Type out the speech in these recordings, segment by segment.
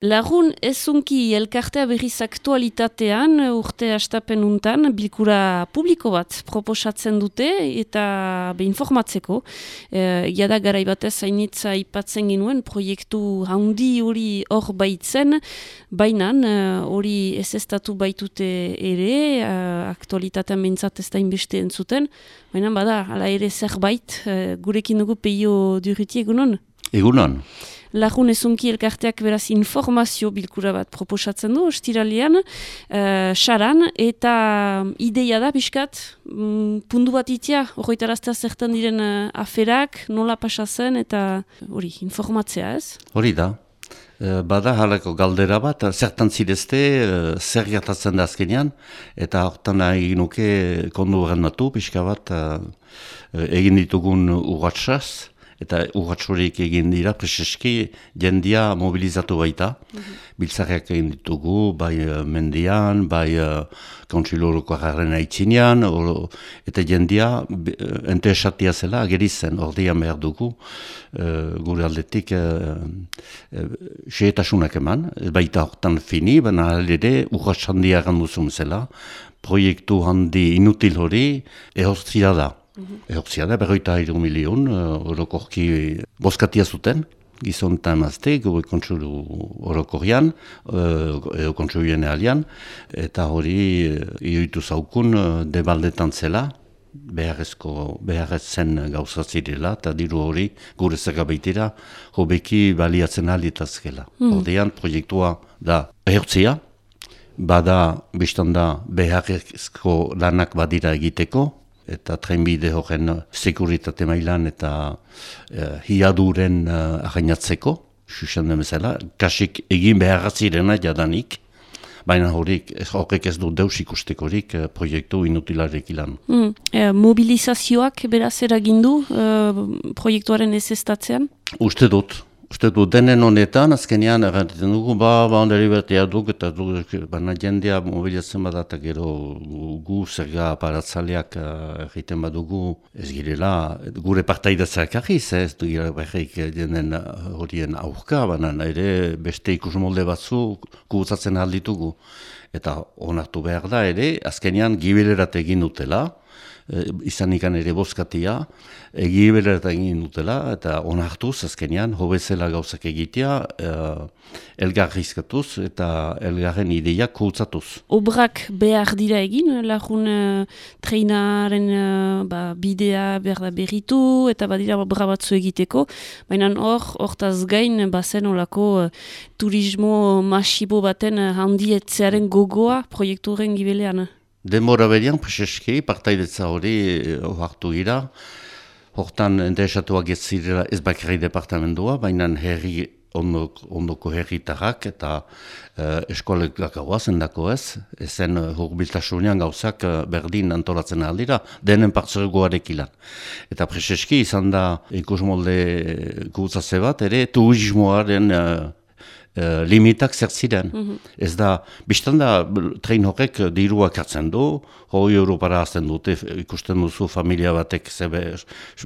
Lagun ezunki elkartea berriz aktualitatean urte hastapen untan bilkura publiko bat proposatzen dute eta informatzeko. Jada garai batez hainitza ipatzen ginuen proiektu handi hori hor baitzen, baina hori ezeztatu baitute ere, aktualitatean behintzat ez da inbeste entzuten, baina bada, hala ere zerbait, gurekin dugu Peio Durruti egunon? Egunon. Lagun ezunki elkarteak beraz informazio bilkura bat proposatzen du, ostiralean, saran, eta ideia da, pixkat, pundu bat itia, horretaraztea zertan diren aferak, nola pasatzen, eta hori, informatzea ez? Hori da. Bada halako galdera bat, zertan zirezte, zer gertatzen da azkenean, eta hortan egin nuke kondu gertatu, pixka bat, egin ditugun urratsaz, eta urratsurik egin dira, preseski jendia mobilizatu baita. Biltzarriak egin ditugu, bai mendian, bai kontsiloroko jarren aitzinean, eta jendia entesatia zela agerizen, ordean behar dugu, gure aldetik xehetasunak eman, baita hortan fini, baina ere urrats handia ganduzun zela, proiektu handi inutil hori ehortzia da. Ehortzia da, 52 milion, orokorki bozkatia zuten, gizon eta emazte, gure kontsulu orokorrian, edo kontsuluen alian, eta hori ioitu zaukun debaldetan zela, beharrez zen gauzatzirela, eta diru hori gure zergabeitira hobeki baliatzen alditazkela. Ordean, proiektua da ehortzia, bada biztanda beharrezko lanak badira egiteko, eta trenbide horren sekuritate mailan eta hiaduren ahainatzeko, susen demezela, kasik egin beharratzirena jadanik, baina horrek ez du deus ikustekorik proiektu inutilarek ilan. Mobilizazioak beraz eragindu proiektuaren ezestatzean? Uste dut denen honetan, azkenean errantzen dugu, ondari bertea duk, eta baina jendea mobilizatzen badata gero gu zerga aparatzaleak egiten badugu ez girela, gure partaidatzak ahiz, ez du gira berreik jenden horien aurka, baina ere beste ikusmolde batzu gutzatzen alditugu. Eta onartu behar da ere, azkenean gibilerat egin dutela, izan ikan ere bozkatia, egiberat egin dutela, eta onartuz, azkenean, hobezela gauzak egitea, elgarrizkatuz eta elgarren ideiak kutzatuz. Obrak behar dira egin, lagun treinaren bidea behar da berritu, eta badira obra batzu egiteko, baina hortaz gain, bazen olako turismo masibo baten handietzearen gogoa proiekturen gibelean. Denbora berian, preseski, partaidetza hori hartu gira. Hortan interesatuak ez zirela ez bakarri departamendua, baina herri ondoko herritarrak eta eskolekak zendako ez. Ezen hurbiltasunean gauzak berdin antolatzen aldira, denen partzegoarek ilan. Eta preseski izan da ikusmolde gutzaze bat, ere turismoaren limitak zertziren. Ez da, biztan da, trein horrek diruak hartzen du, €100 azten dute, ikusten duzu familia batek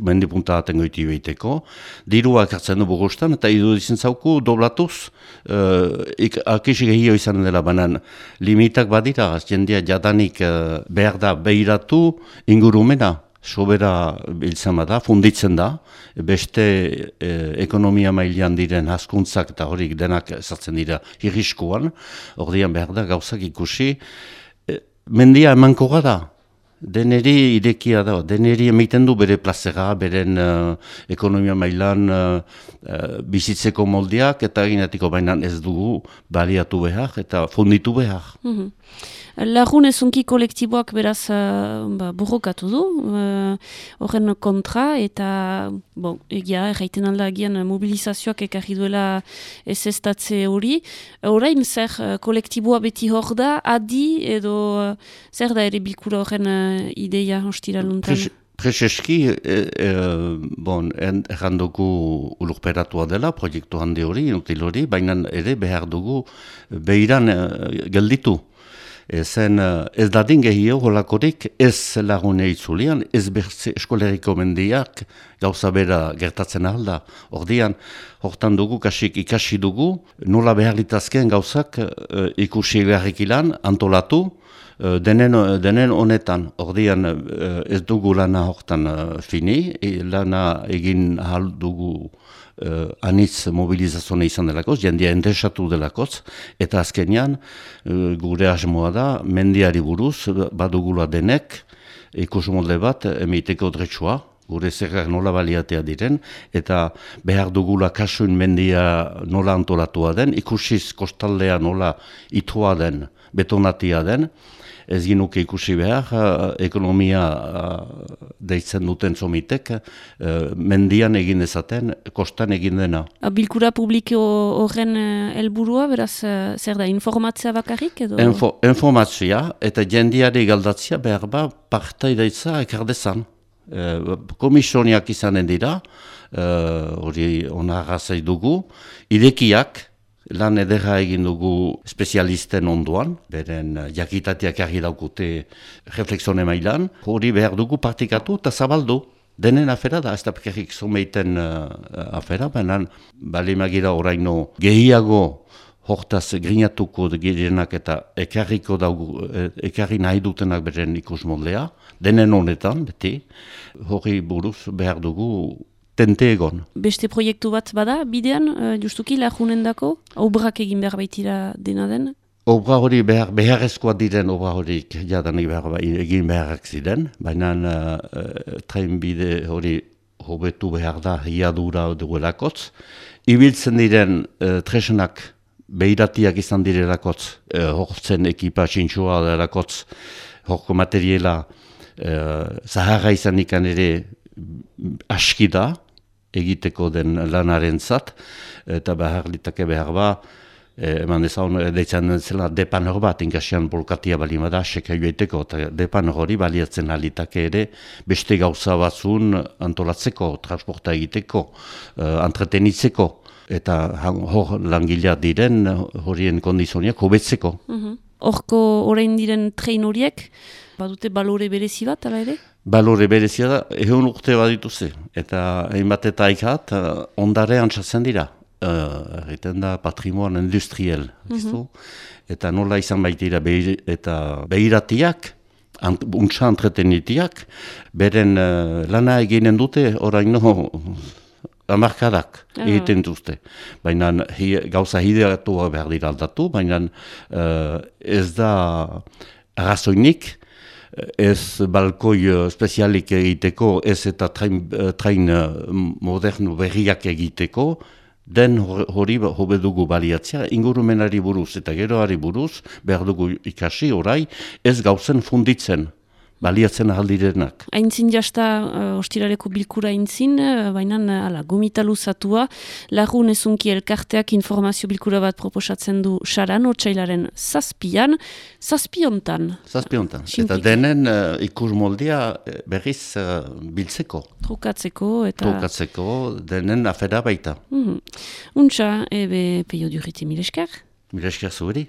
mendipunta aten goiti behiteko, diruak hartzen du burustan, eta iruditzen zauku doblatuz, akisik egio izan dela banan, limitak badira, jendia jadanik behar da behiratu ingurumena. Sobera biltzen da, funditzen da, beste ekonomia mailean diren hazkuntzak eta horik denak ezartzen dira irriskuan, ordean behar da gauzak ikusi, mendia emankoa da, deneri irekia da, deneri emaiten du bere plazera, beren ekonomia mailan bizitzeko moldeak, eta eginatiko bainan ez dugu baliatu behar eta funditu behar. Lagun ezunki kolektiboak beraz borrokatu du, horren kontra, eta egia, erraiten alda agian mobilizazioak ekarri duela ezestatze hori. Orain zer kolektiboa beti hor da, adi edo zer da ere bilkura horren ideia ostiraluntan? Prezeski, errandugu ulurperatua dela, proiektu handi hori, inutil hori, baina ere behar dugu behiran gelditu. Ez dadin gehio holakorik ez lagune itzulian, ez bertze eskoleriko mendiak gauza bera gertatzen alda. Ordian, hortan dugu, kasik ikasi dugu, nola behar litazkeen gauzak ikusi beharrikilan, antolatu, denen honetan. Ordian ez dugu lana hortan fini, lana egin ahal dugu anitz mobilizazione izan delakoz, jendia endesatu delakoz, eta azkenean gure asmoa da, mendiari buruz, badugula denek, ikusmolde bat, emeiteko dretsua, gure zerrak nola baliatea diren, eta behar dugula kasuin mendia nola antolatua den, ikusiz kostaldea nola itua den, betonatia den, ez ginuke ikusi behar, ekonomia deitzen duten zomitek, mendian egin dezaten, kostan egin dena. Bilkura publiko horren helburua, beraz, zer da, informatzea bakarrik edo? Informatzea eta jendiari galdatzea behar ba partaidaitza ekardezan. Komisioniak izanen dira, hori onarra dugu, irekiak, lan edera egin dugu espezialisten onduan, beren jakitatiak argi daukute refleksione mailan, hori behar dugu partikatu eta zabaldu. Denen afera da, ez da pekerrik zomeiten afera, baina balimagira oraino gehiago hortaz grinatuko direnak eta ekarri nahi dutenak beren ikusmoldea, denen honetan, beti, hori buruz behar dugu tente egon. Beste proiektu bat bada, bidean, justuki lagunen dako, obrak egin behar baitira dena den? Obra hori beharrezkoa diren obra horik jadanik egin beharrak ziren, baina trenbide hori hobetu behar da hiadura duelakotz. Ibiltzen diren tresenak behiratiak izan direlakotz, hortzen ekipa txintxoa delakotz, horko materiela zaharra izan ikan ere aski da, egiteko den lanaren zat, eta behar litake behar ba, eman dezaun deitzen zela depan hor bat, inkasian bolkatia balima da, seka joeteko, eta depan hori baliatzen alitake ere, beste gauza batzun antolatzeko, transporta egiteko, entretenitzeko, eta hor langilea diren horien kondizioak hobetzeko. Horko orain diren trein horiek, badute balore berezi bat, ala ere? Balore berezia da, ehun urte badituze, eta hainbat eta aikat ondare antzatzen dira. Egiten da patrimoine industriel, eta nola izan baitira eta behiratiak, untsa entretenitiak, beren lana eginen dute oraino amarkadak egiten duzte. Baina gauza hideatu behar dira aldatu, baina ez da arrazoinik, ez balkoi spezialik egiteko, ez eta train moderno berriak egiteko, den hori hobe dugu baliatzea, ingurumenari buruz eta geroari buruz, behar dugu ikasi orai, ez gauzen funditzen, baliatzen ahaldirenak. Aintzin jasta ostiraleko bilkura aintzin, baina gomita luzatua, lagun ezunki elkarteak informazio bilkura bat proposatzen du saran, otsailaren zazpiontan. Zazpiontan. Eta denen ikus moldea berriz biltzeko. Trukatzeko, denen afera baita. Untxa, ebe peio duriti mileskar. Mileskar zuheri.